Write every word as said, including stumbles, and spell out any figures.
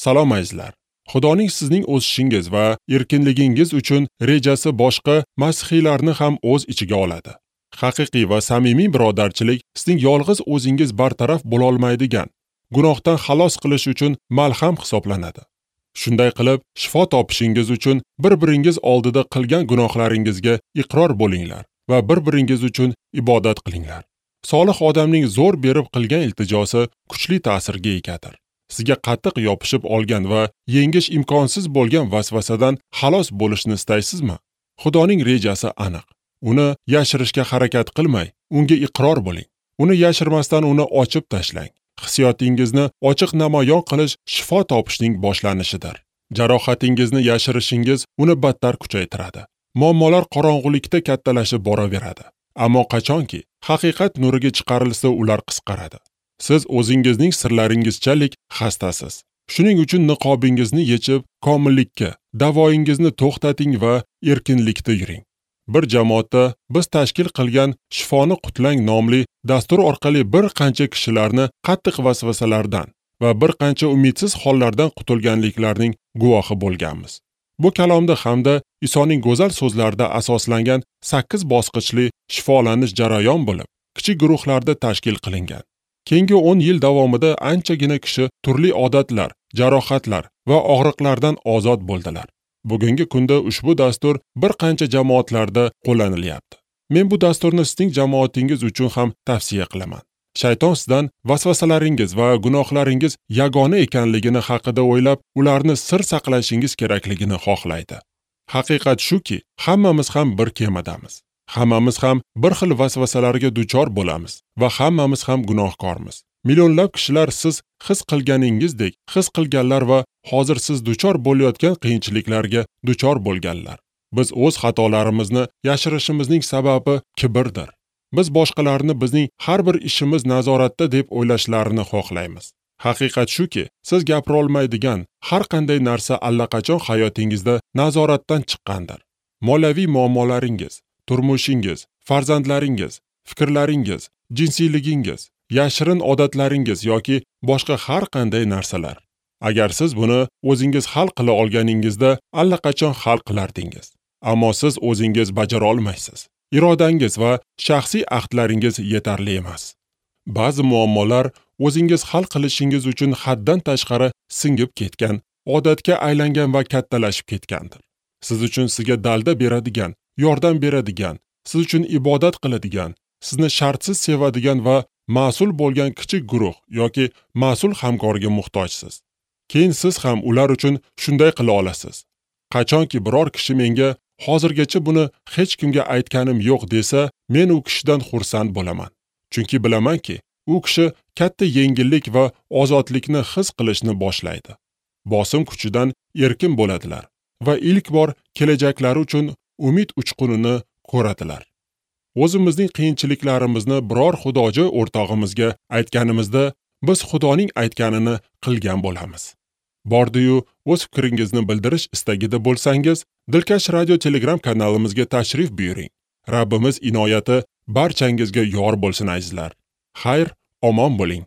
Salom azizlar. Xudoning sizning o'sishingiz va erkinligingiz uchun rejasi boshqa masihiylarni ham o'z ichiga oladi. Haqiqiy va samimiy birodarchilik sizning yolg'iz o'zingiz bartaraf bo'la olmaydigan gunohdan xalos qilish uchun malham hisoblanadi. Shunday qilib, shifo topishingiz uchun bir-biringiz oldida qilgan gunohlaringizga iqror bo'linglar va bir-biringiz uchun ibodat qilinglar. Solih odamning zo'r berib qilgan iltijosi kuchli ta'sirga egadir. Sizga qattiq yopishib olgan va yengish imkonsiz bo'lgan vasvasadan xalos bo'lishni istaysizmi? Xudoning rejasi aniq. Uni yashirishga harakat qilmay, unga iqror bo'ling. Uni yashirmasdan uni ochib tashlang. Hissiyotingizni ochiq namoyon qilish shifo topishning boshlanishidir. Jarohatingizni yashirishingiz uni battar kuchaytiradi. Muammolar qorong'ulikda kattalashib boraveradi. Ammo qachonki haqiqat nuriga chiqarilsa, ular qisqaradi. Siz o'zingizning sirlaringizchalik xastasiz. Shuning uchun niqobingizni yechib, komillikka, davoyingizni to'xtating va erkinlikda yuring. Bir jamoatda biz tashkil qilgan Shifoni qutlang nomli dastur orqali bir qancha kishilarni qattiq vasvasalardan va bir qancha umidsiz hollardan qutulganliklarining guvohi bo'lganmiz. Bu kalomda hamda Isoning go'zal so'zlarida asoslangan sakkiz bosqichli shifolanish jarayon bo'lib, kichik guruhlarda tashkil qilingan. Keyingi o'n yil davomida anchagina kishi turli odatlar, jarohatlar va og'riqlardan ozod bo'ldilar. Bugungi kunda ushbu dastur bir qancha jamoatlarda qo'llanilyapti. Men bu dasturni sizning jamoatingiz uchun ham tavsiya qilaman. Shayton sizdan vasvasalaringiz va gunohlaringiz yagona ekanligini haqida o'ylab, ularni sir saqlashingiz kerakligini xohlaydi. Haqiqat shuki, hammamiz ham bir kemadamiz. Hammamiz ham bir xil vasvasalarga duchor bo'lamiz va hammamiz ham gunohkormiz. Millionlab kishilar siz his qilganingizdek his qilganlar va hozir siz duchor bo'layotgan qiyinchiliklarga duchor bo'lganlar. Biz o'z xatolarimizni yashirishimizning sababi kibrdir. Biz boshqalarni bizning har bir ishimiz nazoratda deb o'ylashlarini xohlaymiz. Haqiqat shuki, siz gapira olmaydigan har qanday narsa allaqachon hayotingizda nazoratdan chiqqandir. Moliyaviy muammolaringiz, turmushingiz, farzandlaringiz, fikrlaringiz, jinsiyligingiz, yashirin odatlaringiz yoki boshqa har qanday narsalar. Agar siz buni o'zingiz hal qila olganingizda allaqachon hal qilardingiz. Ammo siz o'zingiz bajara olmaysiz. Irodangiz va shaxsiy ahdlaringiz yetarli emas. Ba'zi muammolar o'zingiz hal qilishingiz uchun haddan tashqari singib ketgan, odatga aylangan va kattalashib ketgandir. Siz uchun sizga dalda beradigan, yordam beradigan, siz uchun ibodat qiladigan, sizni shartsiz sevadigan va mas'ul bo'lgan kichik guruh yoki mas'ul hamkorga muhtojsiz. Keyin siz ham ular uchun shunday qila olasiz. Qachonki biror kishi menga hozirgacha buni hech kimga aytganim yo'q desa, men u kishidan xursand bo'laman. Chunki bilamanki, u kishi katta yengillik va ozodlikni his qilishni boshlaydi. Bosim kuchidan erkin bo'ladilar va ilk bor kelajaklari uchun umid uchqunini ko'radilar. O'zimizning qiyinchiliklarimizni biror xudojo'y o'rtog'imizga aytganimizda, biz Xudoning aytganini qilgan bo'lamiz. Bordi-yu o'z fikringizni bildirish istagida bo'lsangiz, Dilkash Radio Telegram kanalimizga tashrif buyuring. Rabbimiz inoyati barchangizga yor bo'lsin azizlar. Xayr, omon bo'ling.